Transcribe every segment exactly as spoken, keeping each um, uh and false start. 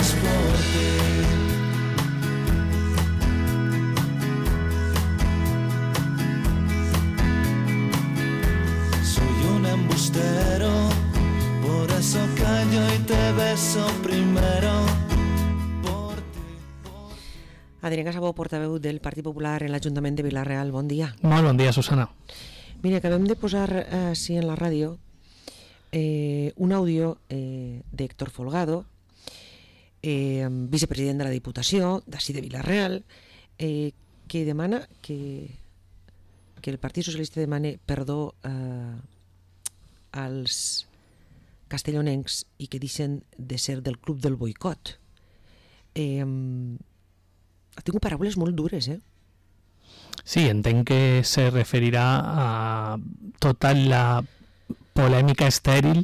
transporte. Soy un embustero, por eso callo y te beso primero. Adrián Casabó, portaveu del Partit Popular en l'Ajuntament de Vila-real. Bon dia. Molt bon dia, Susana. Mira, acabem de posar eh, sí, en la ràdio eh, un àudio eh, d'Héctor Folgado, eh, vicepresident de la Diputació d'ací de Vila-real, eh, que demana que, que el Partit Socialista demane perdó eh, als castellonencs i que deixen de ser del club del boicot. Eh, ha tingut paraules molt dures, eh? Sí, entenc que se referirà a tota la polèmica estèril,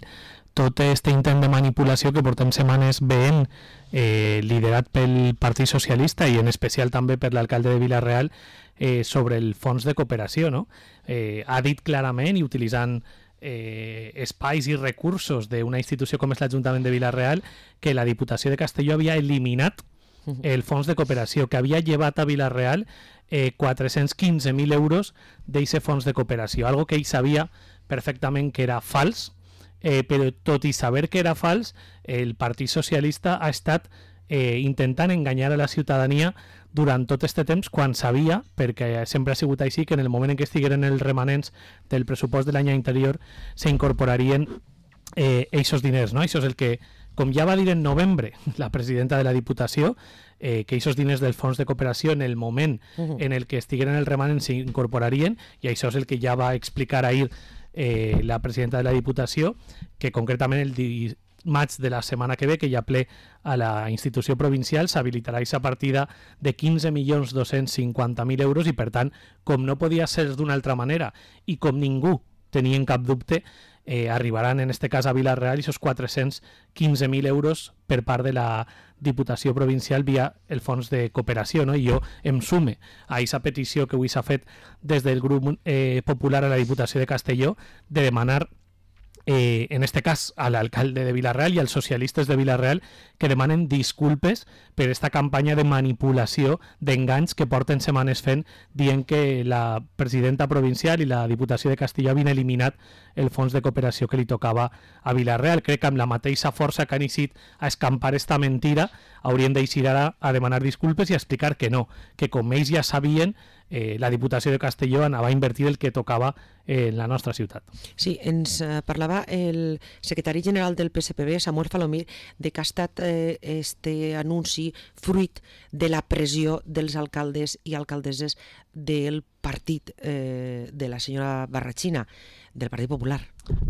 tot aquest intent de manipulació que portem setmanes veient, eh, liderat pel Partit Socialista i en especial també per l'alcalde de Vila-real, eh, sobre el fons de cooperació, no? Eh, ha dit clarament i utilitzant eh, espais i recursos d'una institució com és l'Ajuntament de Vila-real que la Diputació de Castelló havia eliminat el fons de cooperació, que havia llevat a Vila-real eh, quatre-cents quinze mil euros d'aquest fons de cooperació, algo que ell sabia perfectament que era fals, eh, però tot i saber que era fals, el Partit Socialista ha estat eh, intentant enganyar a la ciutadania durant tot aquest temps, quan sabia, perquè sempre ha sigut així, que en el moment en què estigueren els remanents del pressupost de l'any anterior s'incorporarien eh, aquests diners, no? Això és el que, com ja va dir en novembre la presidenta de la Diputació, eh, que aquests diners del fons de cooperació en el moment uh-huh. en el que estigueren el remanent s'incorporarien, i això és el que ja va explicar ahir eh, la presidenta de la Diputació, que concretament el dimarts de la setmana que ve, que hi ha ple a la institució provincial, s'habilitarà aquesta partida de quinze milions dos-cents cinquanta mil euros i, per tant, com no podia ser d'una altra manera i com ningú tenia en cap dubte, Eh, arribaran en este cas a Vila-real i esos quatre-cents quinze mil euros per part de la Diputació Provincial via el fons de cooperació, no? I jo em sume a aquesta petició que avui s'ha fet des del grup eh, popular a la Diputació de Castelló de demanar Eh, en este cas a l'alcalde de Vila-real i als socialistes de Vila-real que demanen disculpes per esta campanya de manipulació, d'enganys que porten setmanes fent, dient que la presidenta provincial i la Diputació de Castelló havien eliminat el fons de cooperació que li tocava a Vila-real. Crec que amb la mateixa força que han eixit a escampar esta mentira haurien d'eixir ara a demanar disculpes i a explicar que no, que com ells ja sabien, eh, la Diputació de Castelló anava a invertir el que tocava eh, en la nostra ciutat. Sí, ens eh, parlava el secretari general del P S P B, Samuel Falomir, de que ha estat eh, este anunci fruit de la pressió dels alcaldes i alcaldesses del partit eh, de la senyora Barrachina, del Partit Popular.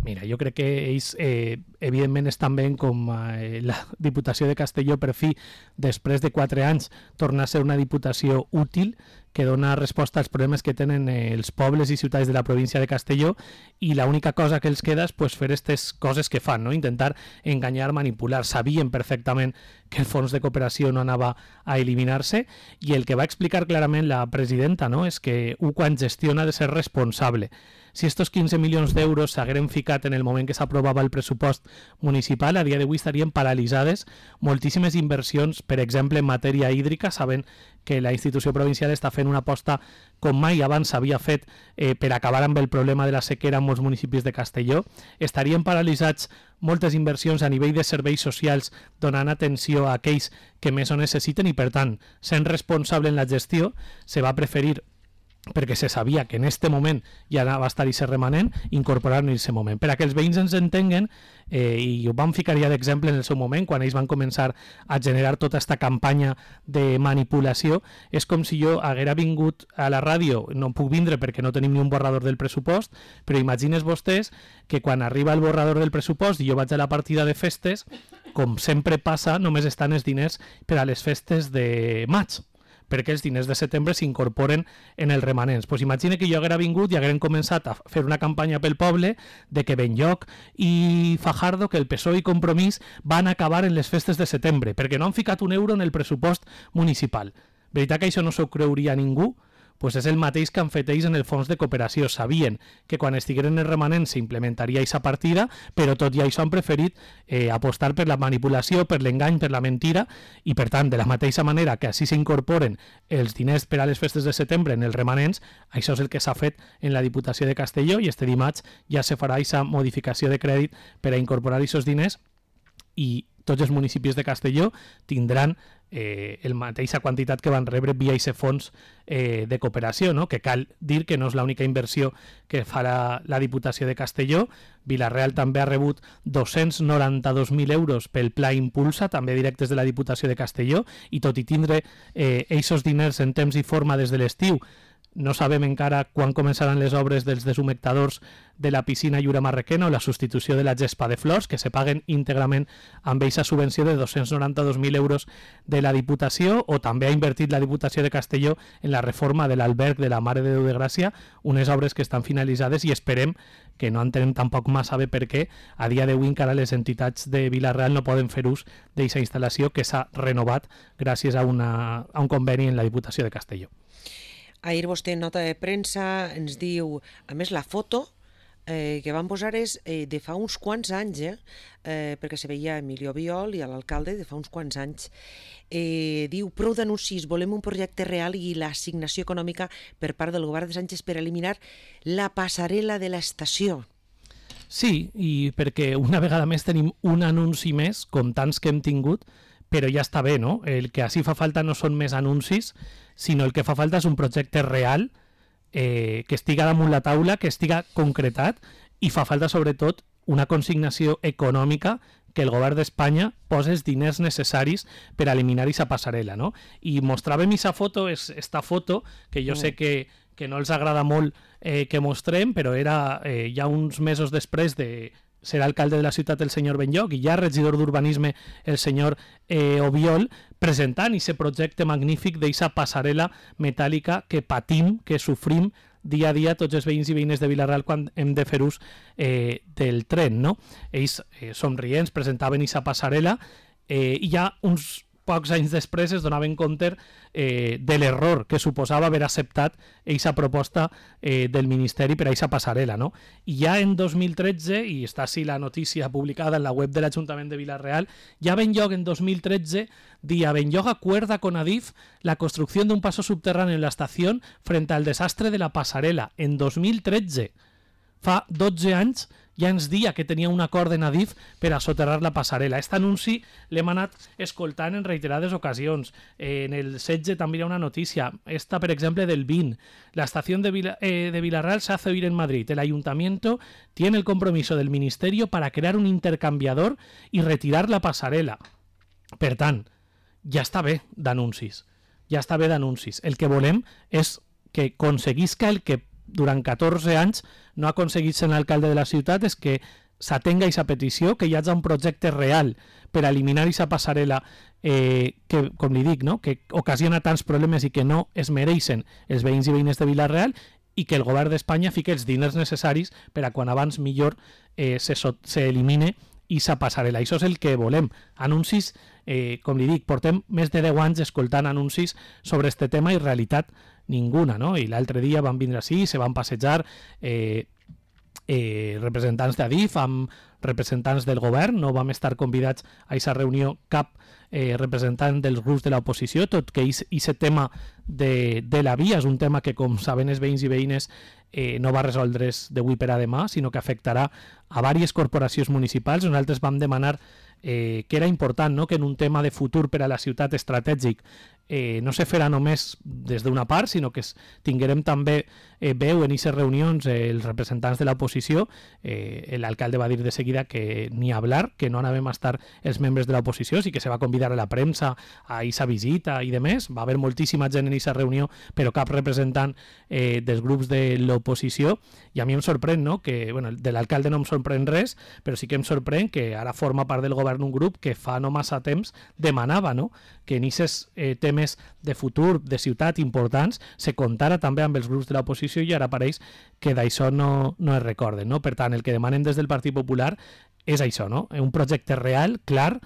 Mira, jo crec que ells eh, evidentment estan ben com eh, la Diputació de Castelló, per fi, després de quatre anys, torna a ser una diputació útil que dona resposta als problemes que tenen eh, els pobles i ciutats de la província de Castelló, i l'única cosa que els queda és pues, fer aquestes coses que fan, no? Intentar enganyar, manipular. Sabien perfectament que el fons de cooperació no anava a eliminar-se, i el que va explicar clarament la presidenta, no? És que un quan gestiona ha de ser responsable. Si estos quinze milions d'euros s'hagueren ficat en el moment que s'aprovava el pressupost municipal, a dia d'avui estarien paralitzades moltíssimes inversions, per exemple, en matèria hídrica, sabent que la institució provincial està fent una aposta com mai abans s'havia fet eh, per acabar amb el problema de la sequera en molts municipis de Castelló. Estarien paralitzats moltes inversions a nivell de serveis socials, donant atenció a aquells que més ho necessiten, i per tant, sent responsable en la gestió, se va preferir, perquè se sabia que en este moment ja va estar i ser remanent, incorporar-lo en aquest moment. Per a que els veïns ens entenguen, eh, i ho vam ficar ja d'exemple en el seu moment, quan ells van començar a generar tota aquesta campanya de manipulació, és com si jo haguera vingut a la ràdio, no puc vindre perquè no tenim ni un borrador del pressupost, però imagines vostès que quan arriba el borrador del pressupost i jo vaig a la partida de festes, com sempre passa, només estan els diners per a les festes de maig, perquè els diners de setembre s'incorporen en els remanents. Pues imagina que jo haguera vingut i hagueren començat a fer una campanya pel poble de que Benlloc i Fajardo, que el P S O E i Compromís van acabar en les festes de setembre, perquè no han ficat un euro en el pressupost municipal. Veritat que això no s'ho creuria ningú? pues és el mateix que han fet ells en el fons de cooperació. Sabien que quan estigueren els remanents s'implementaria aquesta partida, però tot i això han preferit eh, apostar per la manipulació, per l'engany, per la mentira, i per tant, de la mateixa manera que així s'incorporen els diners per a les festes de setembre en els remanents, això és el que s'ha fet en la Diputació de Castelló, i este dimarts ja se farà aquesta modificació de crèdit per a incorporar aquests diners, i tots els municipis de Castelló tindran eh, la mateixa quantitat que van rebre via aquest fons eh, de cooperació, no? Que cal dir que no és l'única inversió que farà la Diputació de Castelló. Vila-real també ha rebut dos-cents noranta-dos mil euros pel Pla Impulsa, també directes de la Diputació de Castelló, i tot i tindre eh, aquests diners en temps i forma des de l'estiu, no sabem encara quan començaran les obres dels deshumectadors de la piscina Llura Marrequena o la substitució de la gespa de flors, que se paguen íntegrament amb aquesta subvenció de dos-cents noranta-dos mil euros de la Diputació, o també ha invertit la Diputació de Castelló en la reforma de l'alberg de la Mare de Déu de Gràcia, unes obres que estan finalitzades, i esperem que no entenem tampoc massa bé per què a dia d'avui encara les entitats de Vila-real no poden fer ús d'aquesta instal·lació que s'ha renovat gràcies a, una, a un conveni en la Diputació de Castelló. Ahir vostè en nota de premsa ens diu, a més la foto eh, que van posar és eh, de fa uns quants anys, eh, eh, perquè se veia a Emilio Biol i a l'alcalde de fa uns quants anys. Eh, diu, prou d'anuncis, volem un projecte real i l'assignació econòmica per part del govern de Sánchez per eliminar la passarel·la de l'estació. Sí, i perquè una vegada més tenim un anunci més, com tants que hem tingut, però ja està bé, no? El que així fa falta no són més anuncis, sinó el que fa falta és un projecte real eh, que estiga damunt la taula, que estiga concretat, i fa falta sobretot una consignació econòmica que el govern d'Espanya posi els diners necessaris per eliminar aquesta passarel·la, no? I mostràvem aquesta foto, és esta foto, que jo sé que, que no els agrada molt eh, que mostrem, però era eh, ja uns mesos després de ser alcalde de la ciutat el senyor Benlloc i ja regidor d'urbanisme el senyor eh, Obiol, presentant aquest projecte magnífic d'aquesta passarel·la metàl·lica que patim, que sofrim dia a dia tots els veïns i veïnes de Vila-real quan hem de fer ús eh, del tren, no? Ells eh, somrients presentaven aquesta passarel·la eh, i ja uns pocs anys després es donaven compte eh, de l'error que suposava haver acceptat aquesta proposta eh, del Ministeri per a aquesta passarel·la, no? I ja en dos mil tretze, i està així la notícia publicada en la web de l'Ajuntament de Vila-real, ja Benlloc en dos mil tretze dia Benlloc acuerda con Adif la construcción de un paso subterráneo en la estación frente al desastre de la pasarela. En dos mil tretze, fa dotze anys, ja ens dia que tenia un acord en Adif per a soterrar la passarel·la. Aquest anunci l'hem anat escoltant en reiterades ocasions. Eh, en el setze també hi ha una notícia. Esta, per exemple, del vint. La estación de, Vila, eh, de Vila-real se hace oír en Madrid. El ayuntamiento tiene el compromiso del ministerio para crear un intercambiador y retirar la passarel·la. Per tant, ja està bé d'anuncis. Ja està bé d'anuncis. El que volem és que aconseguisca el que durant catorze anys no ha aconseguit ser l'alcalde de la ciutat, és que s'atenga aquesta petició, que hi hagi un projecte real per eliminar aquesta passarel·la eh, que, com li dic, no? que ocasiona tants problemes i que no es mereixen els veïns i veïnes de Vila-real, i que el govern d'Espanya fiqui els diners necessaris per a quan abans millor eh, se, so, se elimine aquesta passarel·la. Això és el que volem. Anuncis, eh, com li dic, portem més de deu anys escoltant anuncis sobre este tema i realitat ninguna, no? I l'altre dia van vindre així, se van passejar eh, eh, representants d'Adif amb representants del govern, no vam estar convidats a aquesta reunió cap eh, representant dels grups de l'oposició, tot que aquest tema de, de la via és un tema que, com saben els veïns i veïnes, eh, no va resoldre's d'avui per a demà, sinó que afectarà a diverses corporacions municipals. Nosaltres vam demanar eh, que era important, no?, que en un tema de futur per a la ciutat estratègic eh, no se farà només des d'una part, sinó que tinguérem també eh, veu en aquestes reunions eh, els representants de l'oposició. Eh, l'alcalde va dir de seguida que ni hablar, que no anàvem a estar els membres de l'oposició, sí que se va convidar a la premsa a aquesta visita i de més. Va haver moltíssima gent en aquesta reunió, però cap representant eh, dels grups de l'oposició, i a mi em sorprèn, no?, que, bueno, de l'alcalde no em sorprèn res, però sí que em sorprèn que ara forma part del govern un grup que fa no massa temps demanava, no?, que en aquests eh, temes de futur, de ciutat importants, se comptara també amb els grups de l'oposició, i ara pareix que d'això no, no es recorden, no? Per tant, el que demanen des del Partit Popular és això, no?, un projecte real, clar,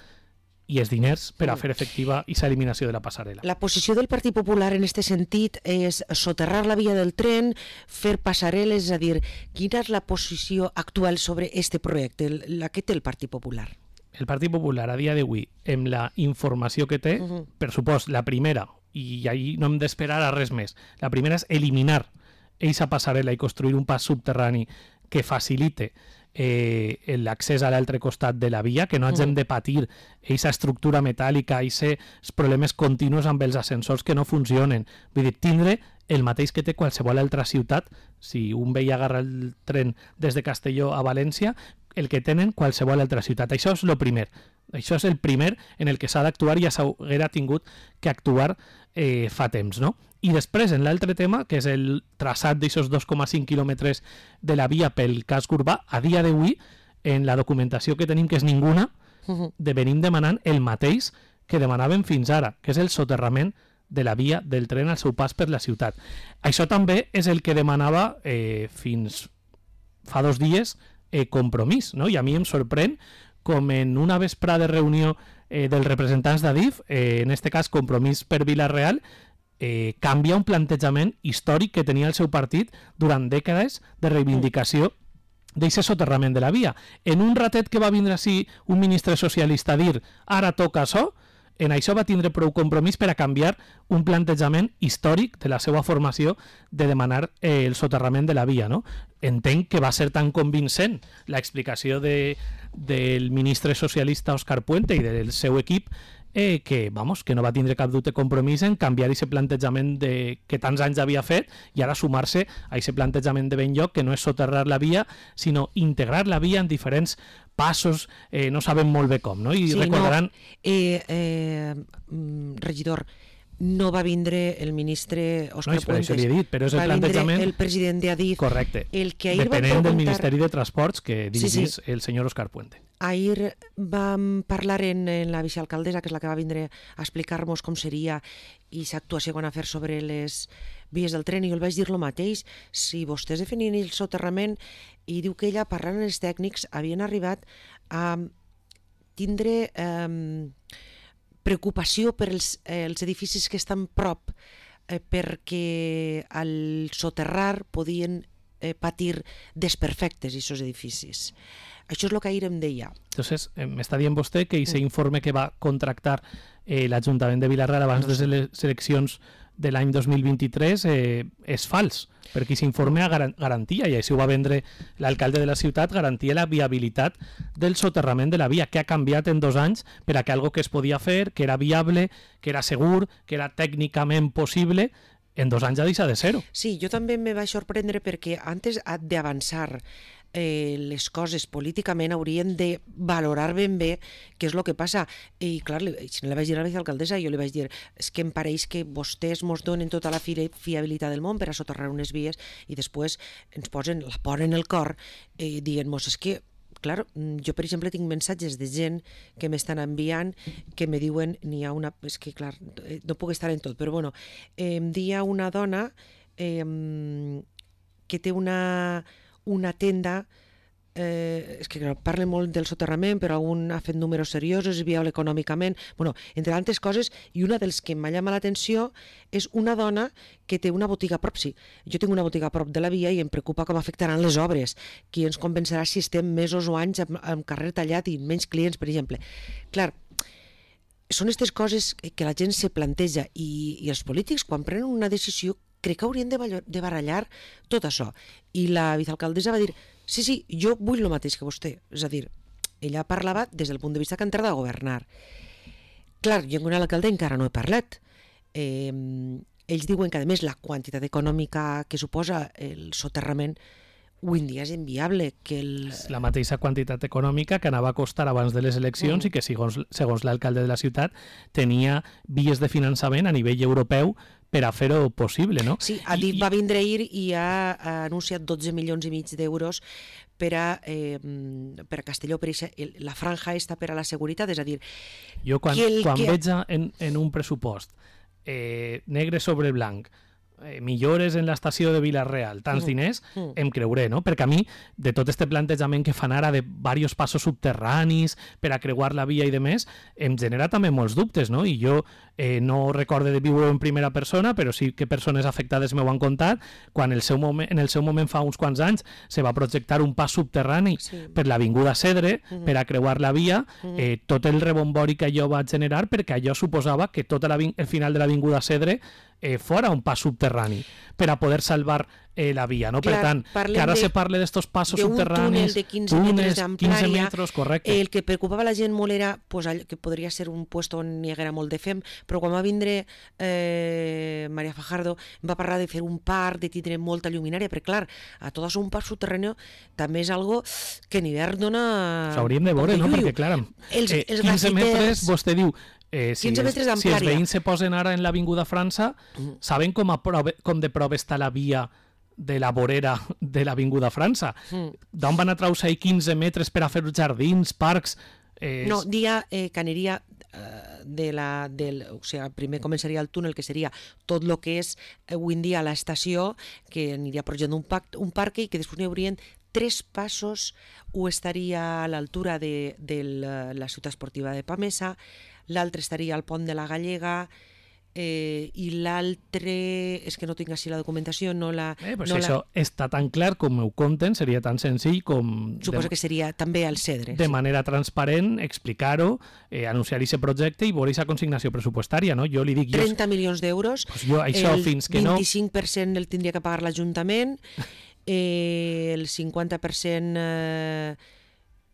i els diners per a fer efectiva aquesta eliminació de la passarel·la. La posició del Partit Popular en aquest sentit és soterrar la via del tren, fer passarel·les, és a dir, quina és la posició actual sobre aquest projecte, la que té el Partit Popular? El Partit Popular a dia d'avui, amb la informació que té, uh -huh. per supost, la primera, i ahí no hem d'esperar a res més, la primera és eliminar aquesta passarel·la i construir un pas subterrani que facilite eh, l'accés a l'altre costat de la via, que no hagin de patir aquesta estructura metàl·lica, aquests problemes continus amb els ascensors que no funcionen. Vull dir, tindre el mateix que té qualsevol altra ciutat, si un veia agarrar el tren des de Castelló a València, el que tenen qualsevol altra ciutat. Això és el primer. Això és el primer en el que s'ha d'actuar i ja s'haguera tingut que actuar eh, fa temps, no? I després, en l'altre tema, que és el traçat d'aquests dos coma cinc quilòmetres de la via pel casc urbà, a dia d'avui, en la documentació que tenim, que és ninguna, de venim demanant el mateix que demanaven fins ara, que és el soterrament de la via del tren al seu pas per la ciutat. Això també és el que demanava eh, fins fa dos dies eh, Compromís, no? I a mi em sorprèn com en una vesprada de reunió eh, dels representants d'Adif, eh, en este cas Compromís per Vila-real, eh, canvia un plantejament històric que tenia el seu partit durant dècades de reivindicació d'aquest soterrament de la via. En un ratet que va vindre així un ministre socialista a dir ara toca això, en això va tindre prou Compromís per a canviar un plantejament històric de la seva formació de demanar eh, el soterrament de la via, no? Entenc que va ser tan convincent l'explicació de, del ministre socialista Òscar Puente i del seu equip eh, que, vamos, que no va tindre cap dubte Compromís en canviar aquest plantejament de, que tants anys havia fet i ara sumar-se a aquest plantejament de ben lloc, que no és soterrar la via, sinó integrar la via en diferents passos, eh, no sabem molt bé com, no? I sí, recordaran... No, eh, eh, regidor, no va vindre el ministre Òscar no, Puentes, això li he dit, però és el va vindre plantejament... el president d'Adif. Correcte, el que ahir depenent preguntar... del Ministeri de Transports que dirigís sí, sí. el senyor Òscar Puente. Ahir vam parlar en, en la vicealcaldessa, que és la que va vindre a explicar-nos com seria i l'actuació que van a fer sobre les vies del tren, i jo el vaig dir el mateix. Si vostès definien el soterrament, i diu que ella, parlant amb els tècnics, havien arribat a tindre eh, preocupació per els, eh, els edificis que estan prop, eh, perquè al soterrar podien eh, patir desperfectes aquests edificis. Això és el que ahir em deia. Entonces, eh, m'està dient vostè que aquest informe que va contractar eh, l'Ajuntament de Vila-real abans no sé. de les eleccions de l'any dos mil vint-i-tres eh, és fals, perquè aquest informe garantia, i així ho va vendre l'alcalde de la ciutat, garantia la viabilitat del soterrament de la via, que ha canviat en dos anys per a que algo que es podia fer, que era viable, que era segur, que era tècnicament possible, en dos anys ja deixa de ser-ho. Sí, jo també me vaig sorprendre perquè antes d'avançar eh, les coses políticament haurien de valorar ben bé què és el que passa. I clar, si no li vaig dir a la vicealcaldessa, jo li vaig dir és que em pareix que vostès mos donen tota la fi fiabilitat del món per a soterrar unes vies i després ens posen la por en el cor eh, dient-nos és que clar, jo per exemple tinc missatges de gent que m'estan enviant que me diuen, n'hi ha una, és que clar, no puc estar en tot, però bueno, em dia una dona eh, que té una, una tenda, eh, és que clar, parla molt del soterrament, però un ha fet números seriosos, és viable econòmicament, bueno, entre altres coses, i una dels que m'ha llamat l'atenció és una dona que té una botiga a prop, sí. Jo tinc una botiga a prop de la via i em preocupa com afectaran les obres. Qui ens convencerà si estem mesos o anys amb, amb carrer tallat i menys clients, per exemple. Clar, són aquestes coses que la gent se planteja i, i els polítics, quan prenen una decisió, crec que haurien de, de barallar tot això. I la vicealcaldessa va dir sí, sí, jo vull el mateix que vostè. És a dir, ella parlava des del punt de vista que entrarà a governar. Clar, jo amb l'alcalde encara no he parlat. Eh, ells diuen que, a més, la quantitat econòmica que suposa el soterrament avui en dia és inviable. Que el... La mateixa quantitat econòmica que anava a costar abans de les eleccions mm. i que, segons, segons l'alcalde de la ciutat, tenia vies de finançament a nivell europeu per a fer-ho possible, no? Sí, Adif va vindre ahir i ha, ha anunciat dotze milions i mig d'euros per a, eh, per a Castelló, per a la franja esta per a la seguretat, és a dir... Jo quan, el, quan que... veig en, en un pressupost eh, negre sobre blanc eh, millores en l'estació de Vila-real, tants mm. diners, mm. em creuré, no? Perquè a mi, de tot este plantejament que fan ara de diversos passos subterranis per a creuar la via i de més, em genera també molts dubtes, no? I jo eh, no recorde de viure en primera persona, però sí que persones afectades m'ho han contat, quan el seu moment, en el seu moment fa uns quants anys se va projectar un pas subterrani sí. per l'avinguda Cedre, mm-hmm. per a creuar la via, mm-hmm. eh, tot el rebombori que allò va generar, perquè allò suposava que tot el final de l'avinguda Cedre eh, fora un pas subterrani per a poder salvar eh, la via, no? Clar, per tant, que ara de, se parle d'estos passos subterranis, túnel de quinze metres d'amplària, quinze metres, correcte. El que preocupava la gent molt era pues, que podria ser un puesto on hi haguera molt de fem, però quan va vindre eh, María Fajardo va parlar de fer un parc, de tindre molta lluminària, perquè clar, a tot això un parc subterrani també és algo que en hivern dona... S'hauríem de veure, no? Perquè clar, els, eh, els quinze metres, vostè diu, Eh, si, quinze els, metres si els d'amplària. veïns se posen ara en l'Avinguda França, mm. saben com, a prove, com de prova està la via de la vorera de l'Avinguda França? Mm. D'on van a traure quinze metres per a fer jardins, parcs... Eh... No, dia eh, que aniria eh, de la, del, o sigui, primer començaria el túnel, que seria tot el que és eh, avui en dia l'estació, que aniria projectant un, pac, un parc i que després n'hi haurien tres passos, un estaria a l'altura de, de la ciutat esportiva de Pamesa, l'altre estaria al pont de la Gallega, eh, i l'altre, és que no tinc així la documentació, no la... Eh, pues no això la... està tan clar com ho conten, seria tan senzill com... Suposo de, que seria també al Cedre. De sí. manera transparent, explicar-ho, eh, anunciar aquest projecte i veure aquesta consignació pressupostària, no? Jo li dic... trenta milions d'euros, pues jo, això, el fins que no... vint-i-cinc per cent el tindria que pagar l'Ajuntament, eh, el cinquanta per cent... Eh,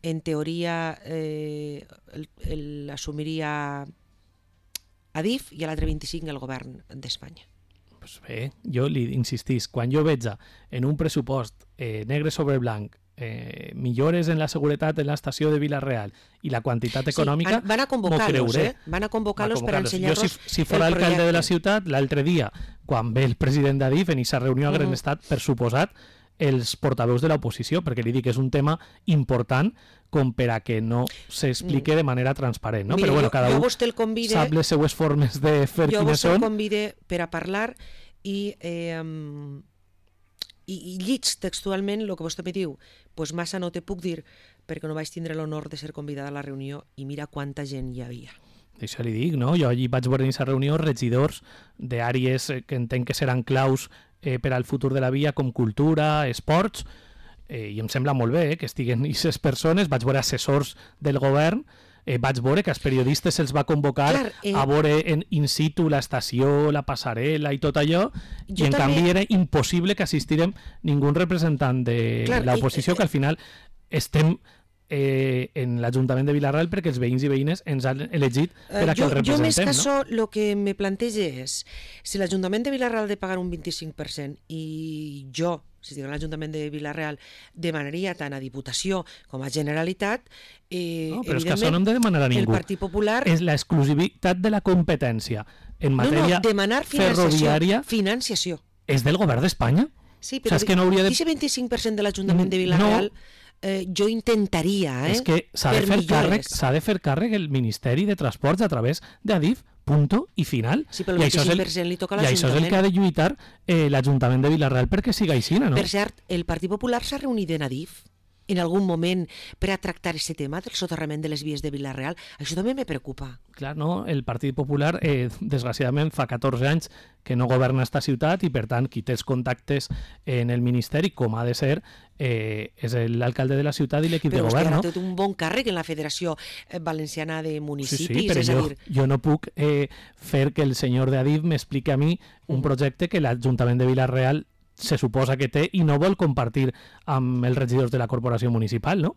en teoria eh, l'assumiria Adif i l'altre vint-i-cinc el govern d'Espanya. Pues bé, jo li insistís, quan jo veig en un pressupost eh, negre sobre blanc eh, millores en la seguretat en l'estació de Vila-real i la quantitat econòmica, sí, van a convocar-los, eh? van a convocar-los per ensenyar-los. Jo, si, si fos alcalde de la ciutat, l'altre dia, quan ve el president d'Adif en aquesta reunió a Grenestat, per suposat, els portaveus de l'oposició, perquè li dic que és un tema important com per a que no s'explique de manera transparent, no? Mira, però bueno, jo, cada jo un convide, sap les seues formes de fer jo quines són. Jo vos convide per a parlar i, eh, i, i lliig textualment el que vostè me diu. Pues massa no te puc dir perquè no vaig tindre l'honor de ser convidada a la reunió i mira quanta gent hi havia. Això li dic, no? Jo allí vaig veure en aquesta reunió regidors d'àrees que entenc que seran claus eh, per al futur de la via, com cultura, esports, eh, i em sembla molt bé eh, que estiguen aquestes persones. Vaig veure assessors del govern, eh, vaig veure que els periodistes se'ls va convocar Clar, eh... a veure en in situ l'estació, la passarel·la i tot allò, jo i en també... canvi era impossible que assistirem ningú representant de Clar, l'oposició, i... que al final estem... Eh, en l'Ajuntament de Vila-real perquè els veïns i veïnes ens han elegit per a que jo, el representem. Jo més que això, el que me planteja és si l'Ajuntament de Vila-real ha de pagar un vint-i-cinc per cent i jo, si dic l'Ajuntament de Vila-real, demanaria tant a Diputació com a Generalitat, eh, no, però és que això no hem de demanar a ningú. El Partit Popular... És l'exclusivitat de la competència en matèria no, no, demanar ferroviària. Financiació. És del govern d'Espanya. Sí, però o sigui, és que no hauria de... aquest vint-i-cinc per cent de l'Ajuntament de Vila-real... No. Eh, jo intentaria, eh? És que s'ha de fer càrrec, s'ha de fer càrrec el Ministeri de Transports a través d'Adif, punto i final. Sí, però el vint-i-cinc per cent li toca a l'Ajuntament. I això és el que ha de lluitar eh, l'Ajuntament de Vila-real perquè siga així, no? Per cert, el Partit Popular s'ha reunit en Adif en algun moment per a tractar aquest tema del soterrament de les vies de Vila-real. Això també me preocupa. Clar, no? El Partit Popular, eh, desgraciadament, fa catorze anys que no governa esta ciutat i, per tant, qui té els contactes en el Ministeri, com ha de ser, eh, és l'alcalde de la ciutat i l'equip de govern. Però vostè ha fet un bon càrrec en la Federació Valenciana de Municipis. Sí, sí, però és jo, a dir... jo no puc eh, fer que el senyor d'Adif m'expliqui a mi un projecte que l'Ajuntament de Vila-real se suposa que té i no vol compartir amb els regidors de la corporació municipal, no?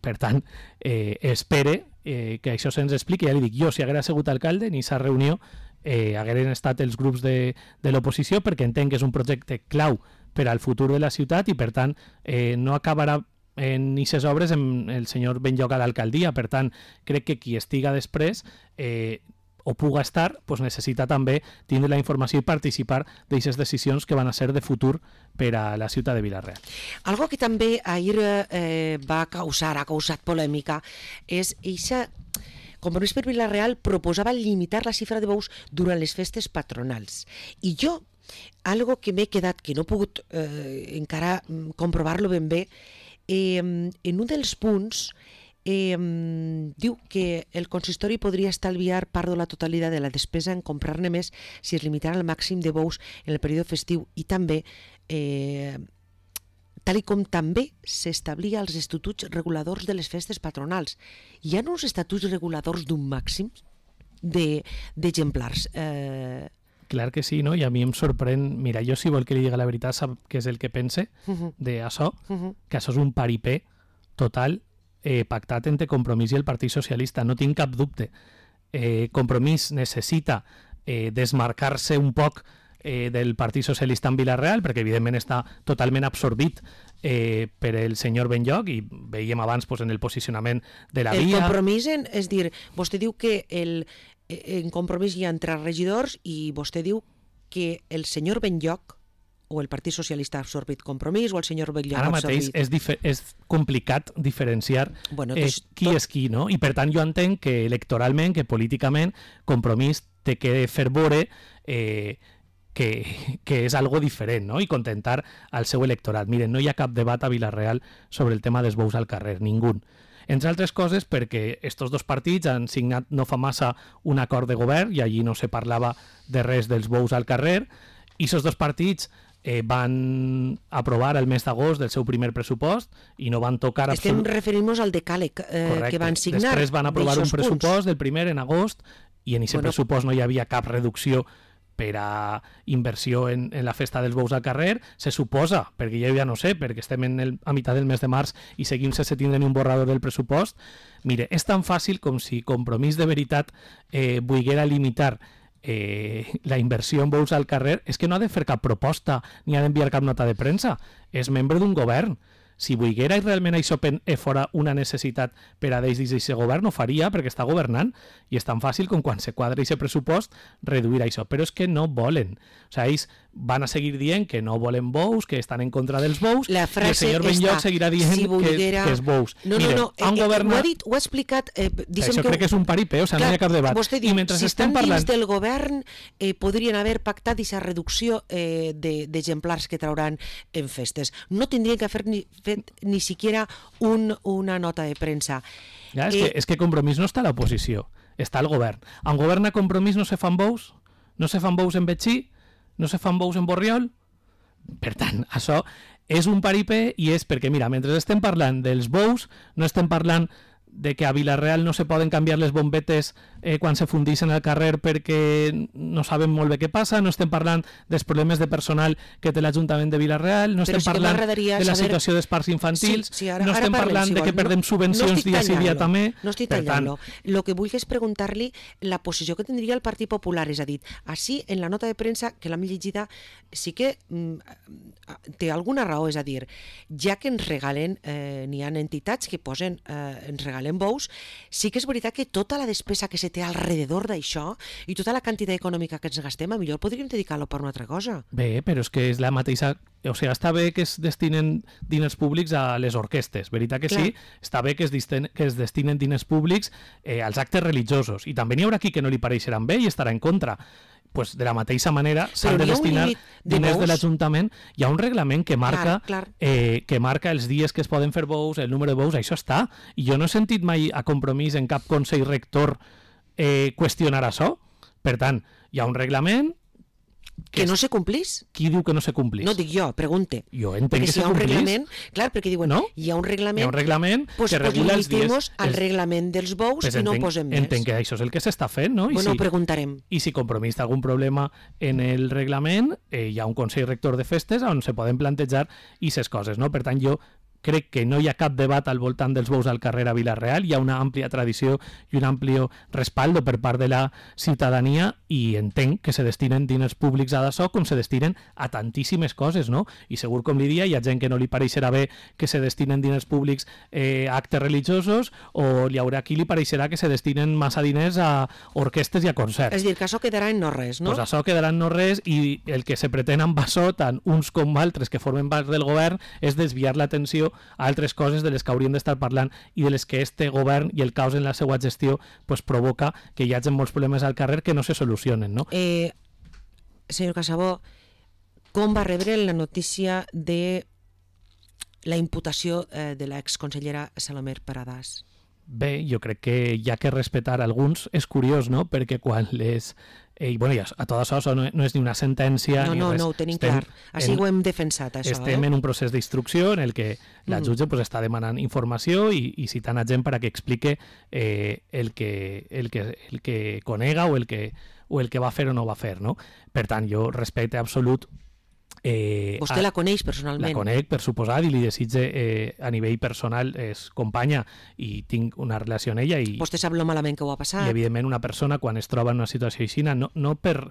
Per tant, eh, espere eh, que això se'ns expliqui. Ja li dic, jo, si haguera sigut alcalde, ni s'ha reunió, eh, hagueren estat els grups de, de l'oposició, perquè entenc que és un projecte clau per al futur de la ciutat i, per tant, eh, no acabarà en aquestes obres amb el senyor Benlloc a l'alcaldia. Per tant, crec que qui estiga després... Eh, o puga estar, pues necessita també tindre la informació i participar d'aquestes decisions que van a ser de futur per a la ciutat de Vila-real. Algo que també ahir eh, va causar, ha causat polèmica, és eixa... Compromís per Vila-real proposava limitar la xifra de bous durant les festes patronals. I jo algo que m'he quedat, que no he pogut eh, encara comprovar-lo ben bé, eh, en un dels punts eh, diu que el consistori podria estalviar part de la totalitat de la despesa en comprar-ne més si es limitara al màxim de bous en el període festiu i també, eh, tal i com també s'establia als estatuts reguladors de les festes patronals. Hi ha uns estatuts reguladors d'un màxim d'exemplars. Eh... Clar que sí, no? I a mi em sorprèn... Mira, jo si vol que li diga la veritat sap què és el que pense Uh-huh. d'això, Uh-huh. que això és un paripé total eh, pactat entre Compromís i el Partit Socialista, no tinc cap dubte. Eh, Compromís necessita eh, desmarcar-se un poc eh, del Partit Socialista en Vila-real, perquè evidentment està totalment absorbit eh, per el senyor Benlloch, i veiem abans pues, en el posicionament de la El via... compromís, en, és dir, vostè diu que el, en compromís hi ha entre regidors i vostè diu que el senyor Benlloch o el Partit Socialista ha absorbit Compromís o el senyor Benlloch Ara ha mateix absorbit... és, difer- és complicat diferenciar Bueno, eh, doncs, qui tot- és qui, no? I per tant jo entenc que electoralment, que políticament, Compromís té que fer veure eh, que, que és algo diferent, no? I contentar al seu electorat. Miren, no hi ha cap debat a Vila-real sobre el tema dels bous al carrer, ningú. Entre altres coses perquè estos dos partits han signat no fa massa un acord de govern i allí no se parlava de res dels bous al carrer, i aquests dos partits eh, van aprovar el mes d'agost del seu primer pressupost i no van tocar... Estem absolut... referint-nos al decàleg eh, que van signar. Després van aprovar un d'eixos pressupost punts. del primer en agost i en aquest Bueno. pressupost no hi havia cap reducció per a inversió en, en la festa dels bous al carrer, se suposa, perquè jo ja no sé, perquè estem en el, a mitjà del mes de març i seguim sense tindre ni un borrador del pressupost. Mire, és tan fàcil com si Compromís de veritat eh, volguera limitar eh, la inversió en bous al carrer, és que no ha de fer cap proposta ni ha d'enviar cap nota de premsa, és membre d'un govern. Si volguera i realment això pen- eh, fora una necessitat per a dins d'aquest govern, no faria perquè està governant i és tan fàcil com quan se quadra aquest pressupost reduir això, però és que no volen. O sigui, ells van a seguir dient que no volen bous, que estan en contra dels bous, La i el frase senyor Benlloch està, seguirà dient si volguera... que, que és bous. No, Miren, no, no, han eh, governat... ho ha dit, ho ha explicat... Eh, Això crec que és un paripé, o sigui, no hi ha cap debat. Vostè diu, I mentre si estem estan parlant... dins del govern eh, podrien haver pactat aquesta reducció eh, de- d'exemplars que trauran en festes. No tindrien que haver ni, fet ni siquiera un, una nota de premsa. Ja, és, Eh, que, és que Compromís no està a l'oposició, està al govern. En govern a Compromís no se fan bous? No se fan bous en Betxí? No se fan bous en Borriol? Per tant, això és un paripé i és perquè, mira, mentre estem parlant dels bous, no estem parlant de que a Vila-real no se poden canviar les bombetes eh, quan se fundixen al carrer perquè no sabem molt bé què passa, no estem parlant dels problemes de personal que té l'Ajuntament de Vila-real, no Però estem sí que parlant m'agradaria de la saber- situació dels parcs infantils, Sí, sí, ara- no ara estem parlem, parlant si de vol. que perdem No- subvencions no estic dia sí dia tallant-lo, també. No estic Per tant, tallant-lo. El que vull és preguntar-li la posició que tindria el Partit Popular. És a dir, així, en la nota de premsa, que l'hem llegida, sí que mm, té alguna raó. És a dir, ja que ens regalen, eh, n'hi ha entitats que posen, eh, ens regalen bous, sí que és veritat que tota la despesa que se té alrededor d'això i tota la quantitat econòmica que ens gastem, a millor podríem dedicar-lo per una altra cosa. Bé, però és que és la mateixa... O sigui, està bé que es destinen diners públics a les orquestes, veritat que Clar. sí? Està bé que es, disten, que es destinen diners públics eh, als actes religiosos. I també n'hi haurà qui que no li pareixeran bé i estarà en contra. Pues de la mateixa manera s'han de n'hi ha un destinar límit de diners de bous? l'Ajuntament. Hi ha un reglament que marca, Clar, clar. Eh, que marca els dies que es poden fer bous, el número de bous, això està. I jo no he sentit mai a Compromís en cap Consell Rector eh, qüestionar això. Per tant, hi ha un reglament Que és- no se complís? Qui diu que no se complís? No dic jo, pregunte. Jo entenc Perquè que si se hi ha un complís. reglament, clar, perquè diuen, No? hi ha un reglament, Hi ha un reglament pues, que pues regula els dies. limitem-nos al Els- reglament dels bous Pues i no entenc, posem més. entenc que això és el que s'està fent, no? I Bueno, si, ho preguntarem. I si Compromís té algun problema en el reglament, eh, hi ha un Consell Rector de Festes on se poden plantejar aquestes coses, no? Per tant, jo crec que no hi ha cap debat al voltant dels bous al carrer a Vila-real, hi ha una àmplia tradició i un ampli respaldo per part de la ciutadania i entenc que se destinen diners públics a d'això com se destinen a tantíssimes coses, no? I segur, com li dia, hi ha gent que no li pareixerà bé que se destinen diners públics eh, a actes religiosos o hi haurà qui li pareixerà que se destinen massa diners a orquestes i a concerts. És a dir, que això quedarà en no res, no? Pues això quedarà en no res i el que se pretén amb això, tant uns com altres que formen part del govern, és desviar l'atenció a altres coses de les que hauríem d'estar parlant i de les que este govern i el caos en la seva gestió pues, provoca que hi hagi molts problemes al carrer que no se solucionen, no? Eh, senyor Casabó, com va rebre la notícia de la imputació eh, de l'exconsellera Salomé Paradàs? Bé, jo crec que hi ha que respetar alguns. És curiós, no?, perquè quan les... Eh, i, bueno, ja, a tot això no, no és ni una sentència no, ni no, res. No, ho tenim estem clar. Així en, ho hem defensat, això. Estem eh? en un procés d'instrucció en el que la jutge mm. pues, està demanant informació i, i citant a gent per a que explique eh, el, que, el, que, el que conega o el que, o el que va fer o no va fer, no? Per tant, jo respecte absolut. Eh, Vostè a, la coneix personalment? La conec, per suposat, i li desitge eh, a nivell personal, és companya i tinc una relació amb ella. I, Vostè sap lo malament que ho ha passat? I, evidentment, una persona, quan es troba en una situació així, no, no per,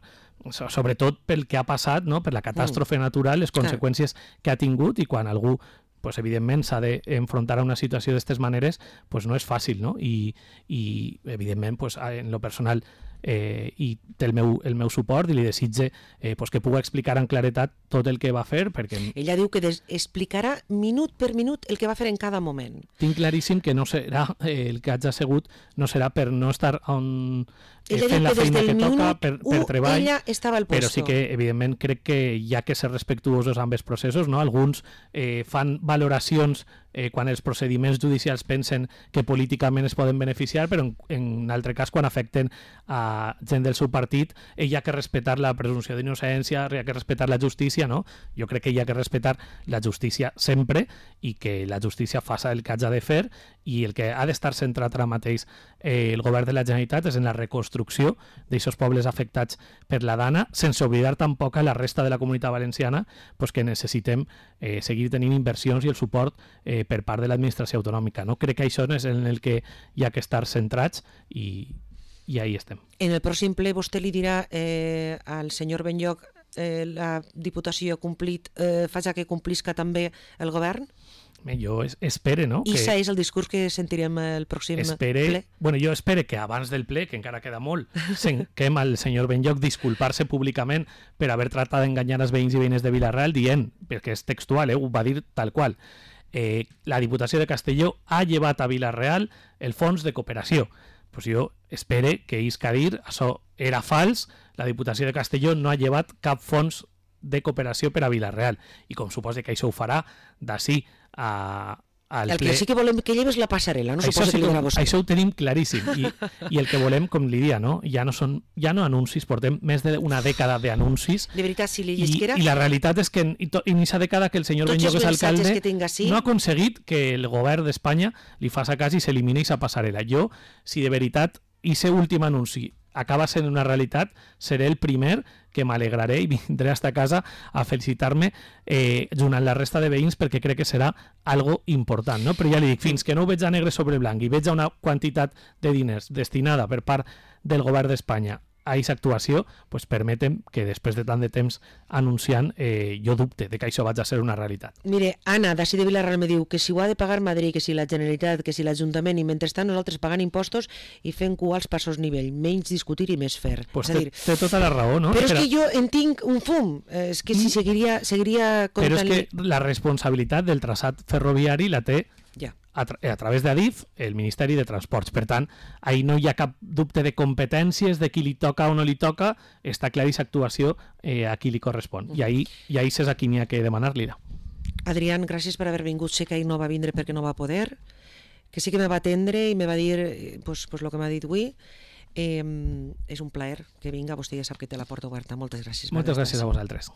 sobretot pel que ha passat, no? Per la catàstrofe mm. natural, les conseqüències Clar. que ha tingut, i quan algú pues, evidentment s'ha d'enfrontar a una situació d'aquestes maneres, pues, no és fàcil, no? I, i evidentment, pues, en lo personal, eh, i té el meu, el meu suport i li desitge eh, pues que pugui explicar en claretat tot el que va fer. Perquè ella diu que des explicarà minut per minut el que va fer en cada moment. Tinc claríssim que no serà, eh, el que haig assegut no serà per no estar on, eh, fent la feina que toca, per, per treball, ella estava al puesto. Però sí que, evidentment, crec que hi ha que ser respectuosos amb els processos, no? Alguns eh, fan valoracions eh, quan els procediments judicials pensen que políticament es poden beneficiar, però en, en un altre cas, quan afecten a gent del seu partit, hi ha que respectar la presumpció d'innocència, hi ha que respectar la justícia, no? Jo crec que hi ha que respectar la justícia sempre i que la justícia faça el que hagi de fer, i el que ha d'estar centrat ara mateix eh, el govern de la Generalitat és en la reconstrucció d'aquests pobles afectats per la Dana, sense oblidar tampoc a la resta de la comunitat valenciana pues, que necessitem eh, seguir tenint inversions i el suport eh, per part de l'administració autonòmica. No? Crec que això és en el que hi ha que estar centrats i, i ahí estem. En el pròxim ple vostè li dirà eh, al senyor Benlloch eh, la Diputació ha complit, eh, faci que complisca també el govern? Jo espere, no? I això és el discurs que sentirem el pròxim espere, ple? Bueno, jo espere que abans del ple, que encara queda molt, sentim al senyor Benlloch disculpar-se públicament per haver tratat d'enganyar els veïns i veïnes de Vila-real dient, perquè és textual, eh, ho va dir tal qual, eh, la Diputació de Castelló ha llevat a Vila-real el fons de cooperació. Pues jo espere que ells que dir, això era fals, la Diputació de Castelló no ha llevat cap fons de cooperació per a Vila-real, i com suposa que això ho farà d'ací a, al el ple. El que sí que volem que lleves la passarel·la, no això suposa sí que li dirà vostè. Això ho tenim claríssim, i, i el que volem, com li dia, no? Ja no són ja no anuncis, portem més d'una dècada d'anuncis. De veritat, si li I, llesquera... I la realitat és que en, en aquesta dècada que el senyor Benlloch és alcalde que no ha aconseguit que el govern d'Espanya li faça cas i s'elimini aquesta passarel·la. Jo, si de veritat aquest últim anunci acaba sent una realitat, seré el primer que m'alegraré i vindré a esta casa a felicitar-me eh, junt amb la resta de veïns, perquè crec que serà algo important, no? Però ja li dic, fins que no ho veig a negre sobre blanc i veig una quantitat de diners destinada per part del govern d'Espanya a aquesta actuació, pues permetem que després de tant de temps anunciant, eh, jo dubte de que això vagi a ser una realitat. Mire, Anna, d'ací de Vila-real me diu que si ho ha de pagar Madrid, que si la Generalitat, que si l'Ajuntament, i mentrestant nosaltres pagant impostos i fent cua als passos nivell, menys discutir i més fer. Pues és té, dir, té tota la raó, no? Però és que jo en tinc un fum, és que si seguiria, seguiria comptant... Però és que la responsabilitat del traçat ferroviari la té ja. a, tra a través d'Adif, el Ministeri de Transports. Per tant, ahí no hi ha cap dubte de competències, de qui li toca o no li toca, està clara aquesta actuació eh, a qui li correspon. I ahí, i ahí és a qui n'hi ha que demanar-li-la. Adrián, gràcies per haver vingut. Sé que ahir no va vindre perquè no va poder, que sí que me va atendre i me va dir pues, pues, el que m'ha dit avui. Eh, és un plaer que vinga, vostè ja sap que té la porta oberta. Moltes gràcies. Moltes gràcies a vosaltres.